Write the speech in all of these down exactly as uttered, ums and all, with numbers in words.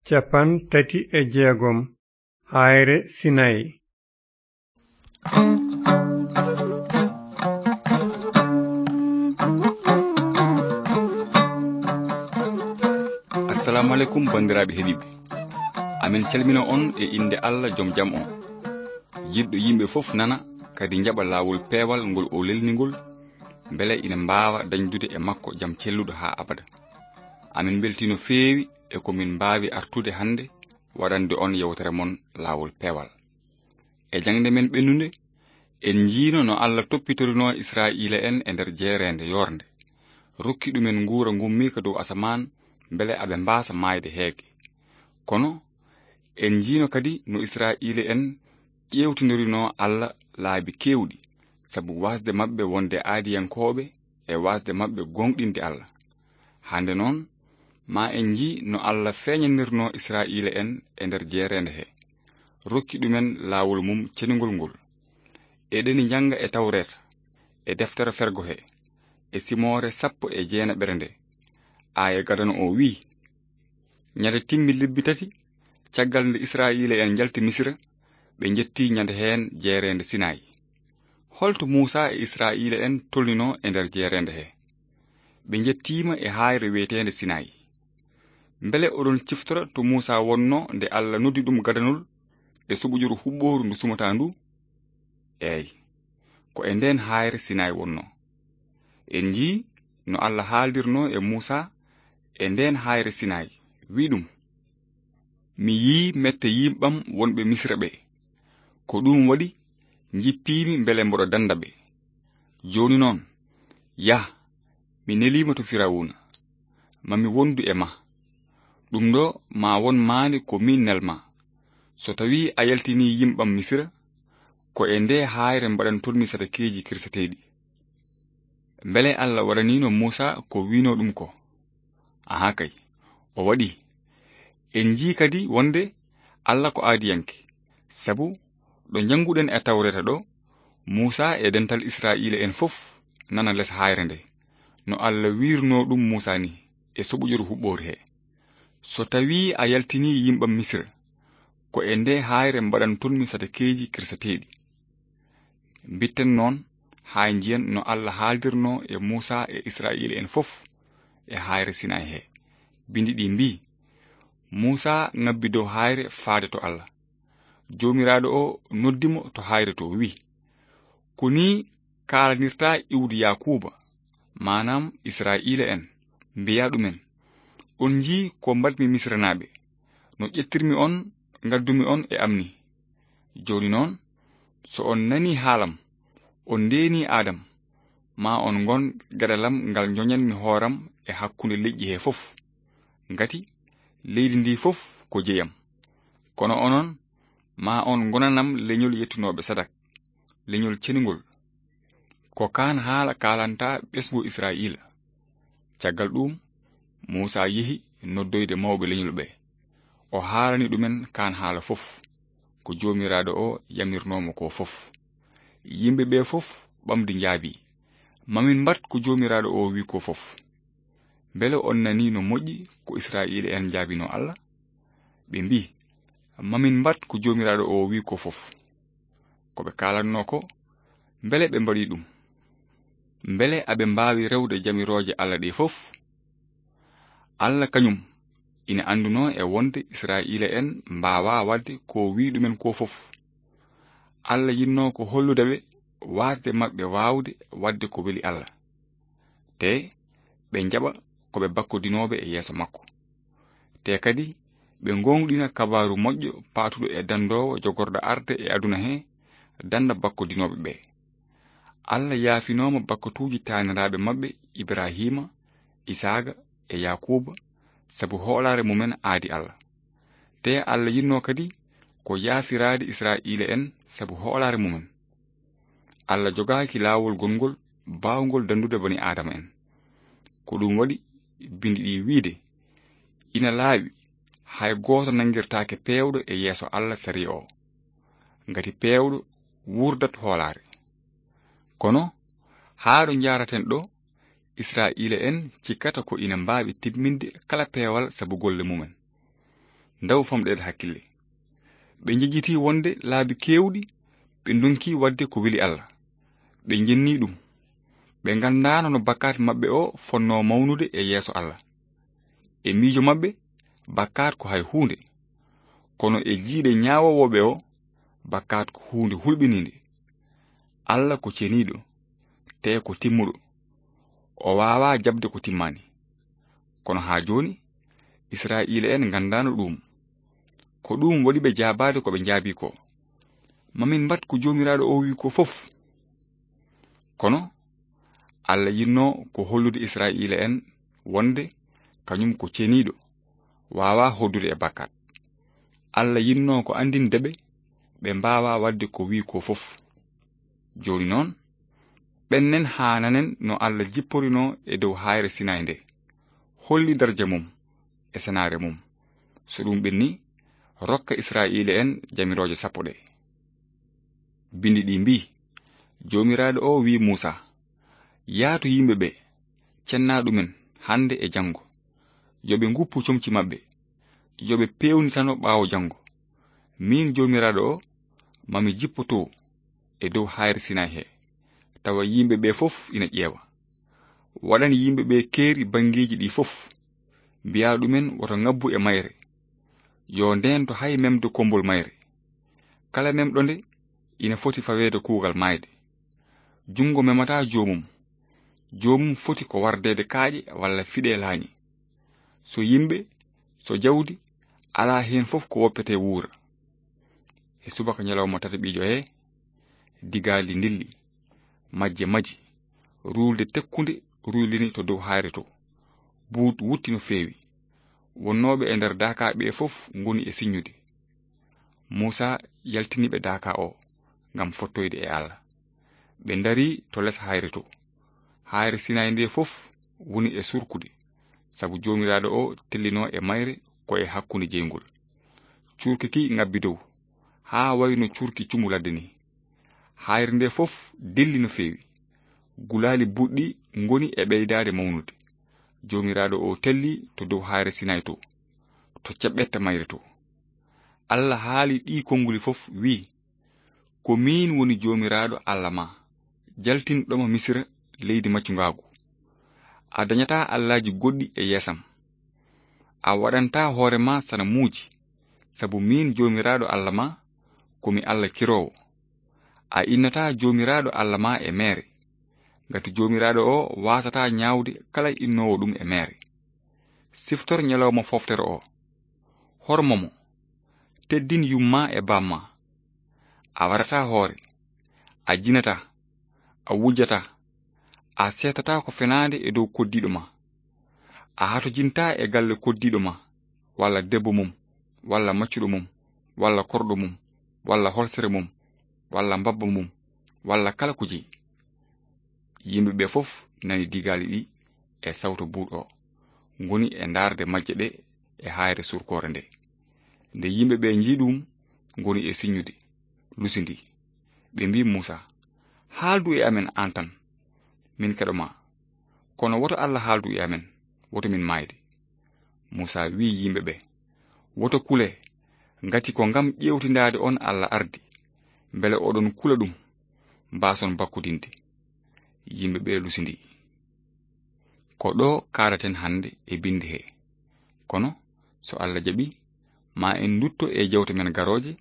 Cappanɗe tati e jeegom. Haayre Sinayi. Assalamu aleykum, banndiraaɓe heɗiiɓe. Amin calmina on e innde Allah, jom jam on. Jiɗɗo yimɓe fof nana, kadi njaɓa laawol peewal ngol o lelni ngol, mbele ina mbaawa dañdude e makko jam celluɗo haa abada. Amin mbeltii no feewi e ko min mbaawi artude hannde waɗande on yewtere mon laawol peewal. E jaŋde men ɓennunde, en njiino no Allah toppitorinoo Israa'iila'en e nder jeereende yoornde, rokki ɗumen nguura ngummiika dow asamaan, mbele aɓe mbaasa maayde heege. Kono en njiino kadi no Israa'iila'en ƴeewtindirinoo Allah laabi keewɗi, sabu waasde maɓɓe wonde aadiyankooɓe e waasde maɓɓe gooŋɗinde Allah. Hannde noon, ma en njii no Allah feeñanirnoo Israa'iila'en e nder jeereende he, rokki ɗumen laawol mum cenungol ngol. Eɗeni njannga e Tawreeta, e Deftere Fergo he, e Simoore sappo e jeenaɓere nde, aaya gadano o wi'i: Ñande timmi lebbi tati, caggal nde Israa'iila'en njalti Misira, ɓe njetti ñande heen jeereende Sinayi. Holto Muusaa e Israa'iila'en tolninoo e nder jeereende he? Ɓe njettiima e haayre wiyeteende Sinayi. Mbele oɗon ciftora to Muusaa wonnoo nde Allah noddi ɗum gadanol e suɓoƴuru huɓɓooru ndu sumataa ndu? Eey, ko e ndeen haayre Sinayi wonnoo. En njii no Allah haaldirnoo e Muusaa e ndeen haayre Sinayi, wi'i ɗum: Mi yii mette yimɓam wonɓe Misira ɓe. Ko ɗum waɗi njippiimi mbele mboɗo dannda ɓe. Jooni noon, yah, mi neliima to Firawuna. Ma mi wondu e ma. Ɗum ɗo ma won maande ko miin nelma. So tawii a yaltinii yimɓam Misira, ko e ndee haayre mbaɗantonmi sadakeeji kirseteeɗi. Mbele Allah waɗaniino Muusaa ko wi'unoo ɗum ko? Ahaa kay, o waɗi. En njii kadi wonde Allah ko aadiyanke, sabu ɗo njannguɗen e Tawreeta ɗo, Muusaa e dental Israa'iila'en fof nana les haayre nde, no Allah wi'irnoo ɗum Muusaa ni e suɓoƴuru huɓɓooru he: So tawii a yaltinii yimɓam Misira, ko e ndee haayre mbaɗantonmi sadakeeji kirseteeɗi. Mbitten noon haa njiyen no Allah haaldirnoo e Muusaa e Israa'iila'en fof e haayre Sinayi he. Binndi ɗi mbii: Muusaa ŋabbi dow haayre faade to Allah. Joomiraaɗo o noddi mo to haayre to, wi'i: Ko nii kaalanirtaa iwdi Yaakuuba, maanaam Israa'iila'en, mbiyaa ɗumen: On njii ko mbaɗmi Misiranaaɓe, no ƴettirmi on, ngaddumi on e am ni. Jooni noon, so on nanii haalam, on ndeenii aadam, ma on ngon geɗalam ngal njoñanmi hooram e hakkunde leƴƴi he fof, ngati leydi ndi fof ko jeyam. Kono onon, ma on ngonanam leñol yettunooɓe sadak, leñol cenungol. Ko kaan haala kaalanta ɓesngu Israa'iila. Caggal ɗuum, Muusaa yehi noddoyde mawɓe leñol ɓe. O haalani ɗumen kaan haala fof, ko Joomiraaɗo o yamirnoo mo ko fof. Yimɓe ɓe fof ɓamdi njaabii: Ma min mbaɗ ko Joomiraaɗo o wi'i ko fof. Mbele on nanii no moƴƴi ko Israa'iila'en njaabinoo Allah? Ɓe mbii: Ma min mbaɗ ko Joomiraaɗo o wi'i ko fof. Ko ɓe kaalannoo ko, mbele ɓe mbaɗii ɗum? Mbele aɓe mbaawi rewde jamirooje Allah ɗe fof? Allah kañum ina anndunoo e wonde Israa'iila'en mbaawaa waɗde ko wi'i ɗumen ko fof. Allah yiɗnoo ko hollude ɓe waasde maɓɓe waawde waɗde ko weli Allah, te ɓe njaɓa ko ɓe bakkodinooɓe e yeeso makko. Te kadi ɓe ngooŋɗina kabaaru moƴƴo paatuɗo e danndoowo jogorɗo arde e aduna he, dannda bakkodinooɓe ɓe. Allah yaafinooma bakkatuuji taaniraaɓe maɓɓe Ibrahiima, Isaaqa e Yaakuuba sabu hoolaare mumen aadi Allah. Te Allah yiɗnoo kadi ko yaafiraade Israa'iila'en sabu hoolaare mumen. Allah jogaaki laawol gongol baawngol danndude bani Aadama en. Ko ɗum waɗi binndi ɗi wi'ude: Ina laaɓi, hay gooto nanngirtaake peewɗo e yeeso Allah sariya o, ngati peewɗo wuurdat hoolaare. Kono haa ɗo njaaraten ɗo, Israa'iila'en cikkata ko ina mbaawi timminde kala peewal sabu golle mumen. Ndaw famɗeede hakkille. Ɓe njejjiti wonde laabi keewɗi, ɓe ndonki waɗde ko weli Allah. Ɓe njenni ɗum. Ɓe nganndaano no bakkaat maɓɓe o fonnoo mawnude e yeeso Allah. E miijo maɓɓe, bakkaat ko hay huunde. Kono e jiiɗe ñaawoowoɓe o, bakkaat ko huunde hulɓiniinde. Allah ko ceniiɗo, te ko timmuɗo. O waawaa jaɓde ko timmaani. Kono haa jooni, Israa'iila en nganndaano ɗum. Ko ɗum waɗi ɓe jaabaade ko ɓe njaabii ko. Ma min mbaɗ ko Joomiraaɗo o wi'i ko fof. Kono Allah yinnoo ko hollude Israa'iila en wonde kañum ko ceniiɗo, waawaa hoddude e bakkaat. Allah yinnoo ko anndinde ɓe, ɓe mbaawaa waɗde ko wi'i ko fof. Jooni noon, ɓennen haa nanen no Allah jipporinoo e dow haayre Sinaay nde, holli darja mum e senaare mum. So ɗum ɓenni, rokka Israa'iila en jamirooje sappo ɗe. Binndi ɗi mbii, Joomiraaɗo o wi'i Muusaa, "Yah to yimɓe ɓe, cenna ɗumen hannde e janngo. Yo ɓe nguppu comci maɓɓe. Yo ɓe peewnitano ɓaawo janngo. Miin Joomiraaɗo o, ma mi jippo to e dow haayre Sinaay he, tawa yimɓe ɓe fof ina ƴeewa. Waɗan yimɓe ɓe keeri banngeeji ɗi fof. Mbiya ɗumen woto ngabbu e mayre. Yo ndeento hay memde kommbol mayre. Kala memɗo nde ina foti faweede kuugal maayde. Junngo memata joomum. Joomum foti ko wardeede kaaƴe walla fiɗe laañi. So yimɓe, so jawdi, alaa heen fof ko woppetee wuura." E subaka ñalawma tataɓiijo he, digaali ndilli, majje maji, ruulde tekkunde ruylini to dow haayre to. Buut wutti no feewi. Wonnooɓe e nder daakaaɓe ɓe fof ngoni e siññude. Muusaa yaltini ɓe daaka o ngam fottoyde e Allah. Ɓe ndarii to les haayre to. Haayre Sinaay nde fof woni e surkude, sabu Joomiraaɗo o tellinoo e mayre ko e hakkunde jeyngol. Cuurki ki ngabbi dow, haa wayno cuurki cumu ladde ni. Haayre nde fof dilli no feewi. Gulaali buɗɗi ngoni e ɓeydaade mawnude. Joomiraaɗo o telli to dow haayre Sinaay to, to ceɓɓetta mayre to. Allah haali ɗii konnguli fof, wi'i, "Ko miin woni Joomiraaɗo Allah ma, jaltinɗo ma Misira, leydi maccungaagu. A dañataa allaaji goɗɗi e yeesam. A waɗantaa hoore ma sanamuuji, sabu miin Joomiraaɗo Allah ma, ko mi Allah kiroowo. A innataa Joomiraaɗo Allah ma e meere, ngati Joomiraaɗo o waasataa ñaawde kala innoowo ɗum e meere. Siftor ñalawma fooftere o. Hormo mo. Teddin yumma e bamma. A waɗataa hoore. A jinataa. A wujjataa. A seetataa ko fenaande e dow koddiiɗo ma. A hatojintaa e galle koddiiɗo ma, walla debbo mum, walla maccuɗo mum, walla korɗo mum, walla holsere mum, walla mbabba mum, walla kala ko jeyi." Yimɓe ɓe fof nani digaali ɗi e sawto buuɗo o, ngoni e ndaarde majje ɗe e haayre surkoore nde. Nde yimɓe ɓe njii ɗum, ngoni e siññude, lusindii. Ɓe mbii Muusaa, "Haaldu e amen aan tan, min keɗo ma. Kono woto Allah haaldu e amen, woto min maayde." Muusaa wii yimɓe ɓe, "Woto kule, ngati ko ngam ƴeewtindaade on Allah ardi, mbele oɗon kula ɗum, mbaason bakkudinde." Yimɓe ɓe lusindii. Ko ɗo kaalaten hannde e binndi he. Kono so Allah jaɓi, ma en ndutto e jewte men garooje,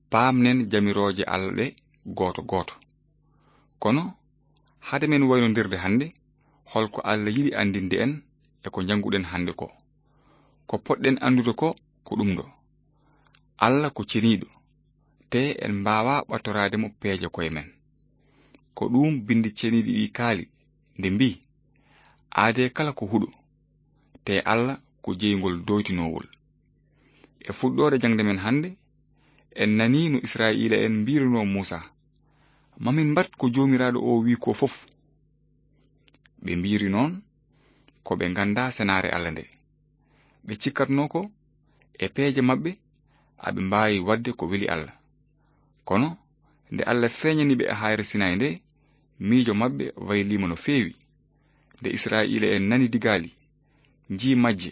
paamnen jamirooje Allah ɗe gooto gooto. Kono hade men waynondirde hannde, holko Allah yiɗi anndinde en e ko njannguɗen hannde ko? Ko poɗɗen anndude ko, ko ɗum ɗo. Allah ko ceniiɗo, te en mbaawaa ɓattoraade mo peeje koye men. Ko ɗum binndi ceniiɗi ɗi kaali, nde mbii, "Aadee kala ko huɗo, te Allah ko jeyngol doytinoowol." E fuɗɗoode jaŋde men hannde, en nanii no Israa'iila en mbiirunoo Muusaa, "Ma min mbaɗ ko Joomiraaɗo o wii ko fof." Ɓe mbiiri noon ko ɓe nganndaa senaare Allah nde. Ɓe cikkatnoo ko e peeje maɓɓe aɓe mbaawi waɗde ko weli Allah. Kono nde Allah feeñani ɓe e haayre Sinaay nde, miijo maɓɓe wayliima no feewi. Nde Israa'iila en nani digaali, njii majje,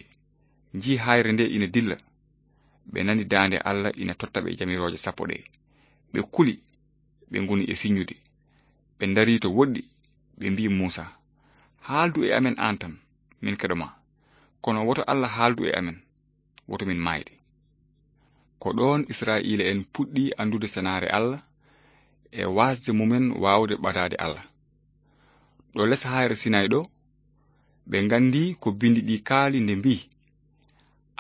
njii haayre nde ina dilla, ɓe nani daande Alla ina totta ɓe jamirooje sappo ɗe. Ɓe kuli, ɓe ngoni e siññude. Ɓe ndarii to woɗɗi, ɓe mbii Muusa, "Haaldu e amen aan tan, min keɗo ma. Kono woto Alla haaldu e amen, woto min maayde." Ko ɗoon Israa'iila'en puɗɗii anndude senaare Alla e waasde mumen waawde ɓadaade Alla. Ɗo les haayre Sinayi ɗo, ɓe nganndii ko binndi ɗi kaali nde mbii,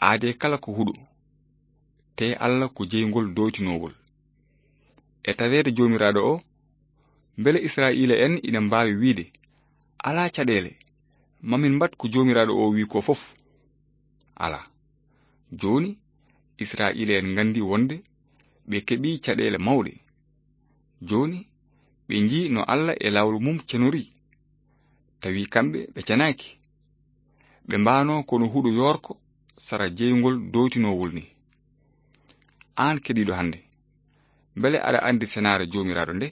"Aadee kala ko huɗo, tee Alla ko jeyngol dooytinoowol." E taweede Joomiraaɗo o, mbele Israa'iila'en ina mbaawi wiyde, "Alaa caɗeele, ma min mbaɗ ko Joomiraaɗo o wiyi ko fof"? Alaa. Jooni, Israa'iila'en nganndi wonde ɓe keɓii caɗeele mawɗe. Jooni, ɓe njii no Alla e laawol mum cenorii. Tawi kamɓe ɓe cenaaki. Ɓe mbaanoo kono huɗo yoorko sara jeyngol dooytinoowol ni. Aan keɗiiɗo hannde, mbele aɗa anndi senaare Joomiraaɗo nde?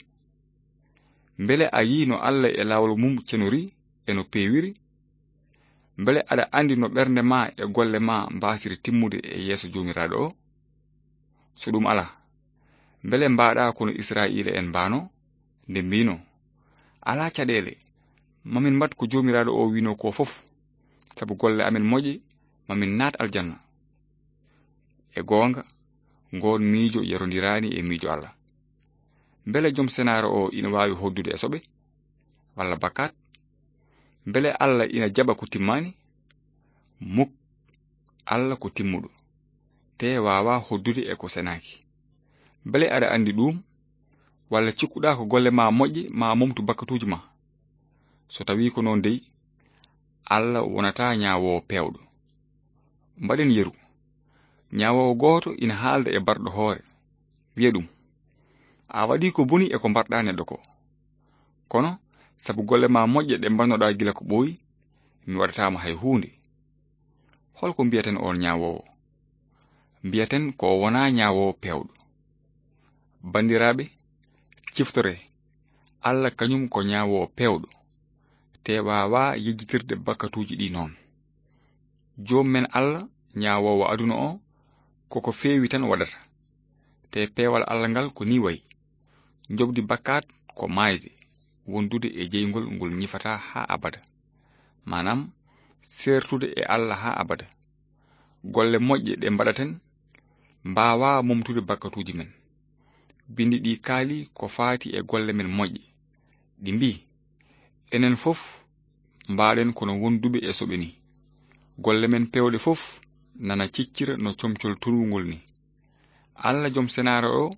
Mbele a yii no Alla e laawol mum cenorii e no peewiri? Mbele aɗa anndi no ɓernde ma e golle ma mbaasiri timmude e yeeso Joomiraaɗo o? So ɗum alaa, mbele mbaaɗa kono Israa'iila'en mbaanoo, nde mbiinoo, "Alaa caɗeele, ma min mbaɗ ko Joomiraaɗo o wiinoo ko fof, sabu golle amen moƴƴe, ma min naat aljanna." E goonga, ngoon miijo yarondiraani e miijo Alla. Mbele jom senaare o ina waawi hoddude e soɓe walla bakkaat? Mbele Alla ina jaɓa ko timmaani? Muk, Alla ko timmuɗo, tee waawaa hoddude e ko senaaki. Mbele aɗa anndi ɗum? Walla cikkuɗaa ko golle ma moƴƴe ma momtu bakkatuuji ma? So tawii ko noon dey, Alla wonataa ñaawoowo peewɗo. Mbaɗen yeru. Ñaawoowo gooto ina haalda e barɗo hoore, wiya ɗum, "A waɗii ko boni e ko mbarɗaa neɗɗo ko. Kono, sabu golle ma moƴƴe ɗe mbannoɗaa gila ko ɓooyi, mi waɗataa ma hay huunde." Hol ko mbiyaten oon ñaawoowo? Mbiyaten ko o wonaa ñaawoowo peewɗo. Banndiraaɓe, ciftoree, Alla kañum ko ñaawoowo peewɗo, tee waawaa yejjitirde bakkatuuji ɗi noon. Joom men Alla, ñaawoowo aduna o, koko feewi tan waɗata. Tee peewal Alla ngal ko nii wayi. Njoɓdi bakkaat ko maayde, wondude e jeyngol ngol ñifataa haa abada. Maanaam, seertude e Alla haa abada. Golle moƴƴe ɗe mbaɗaten mbaawaa momtude bakkatuuji men. Binndi ɗi kaali ko faati e golle men moƴƴe. Ɗi mbii, "Enen fof mbaaɗen kono wonduɓe e soɓe ni. Golle men peewɗe fof nana ciccira no comcol turwungol ni. Alla jom senaare o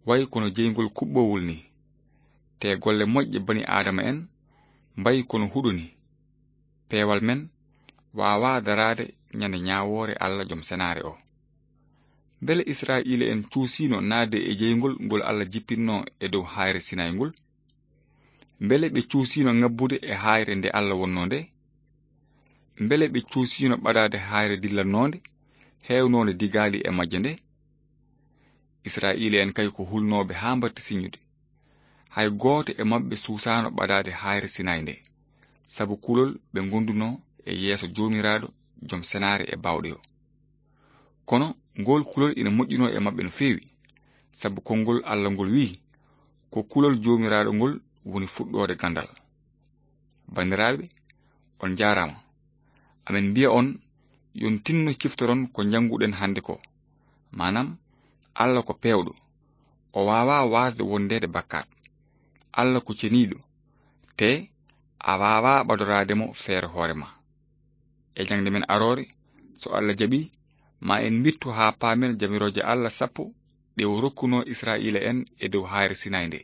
wayi kono jeyngol kuɓɓowol ni. Te golle moƴƴe bani Aadama en mbayi kono huɗo ni. Peewal men waawaa daraade ñande ñaawoore Alla jom senaare o." Mbele Israa'iila'en cuusiino naatde e jeyngol ngol Alla jippinnoo e dow haayre Sinayi ngol? Mbele ɓe cuusiino ŋabbude e haayre nde Alla wonnoo nde? Mbele ɓe cuusiino ɓadaade haayre dillannoonde, heewnoonde digaali e majje nde? Israa'iila'en kay ko hulnooɓe haa mbaɗti siññude. Hay gooto e maɓɓe suusaano ɓadaade haayre Sinayi nde, sabu kulol ɓe ngondunoo e yeeso Joomiraaɗo, jom senaare e baawɗe o. Kono ngol kulol ina moƴƴunoo e maɓɓe no feewi, sabu konngol Alla ngol wiyi, "Ko kulol Joomiraaɗo ngol woni fuɗɗoode ganndal." Banndiraaɓe, on njaaraama. Amen mbiya on, yon tinno ciftoron ko njannguɗen hannde ko. Maanaam, Alla ko peewɗo. O waawaa waasde wondeede bakkaat. Alla ko ceniiɗo. Te a waawaa ɓadoraade mo feere hoore ma. E jaŋde men aroore, so Alla jaɓi, ma en mbittu haa paamen jamirooje Alla sappo ɗe o rokkunoo Israa'iila'en e dow haayre Sinayi nde.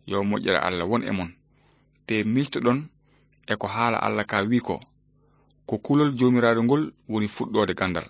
Yo moƴƴere Alla won e mon. Te miijtoɗon e ko haala Alla ka wiyi ko, "Ko kulol Joomiraaɗo ngol woni fuɗɗoode ganndal."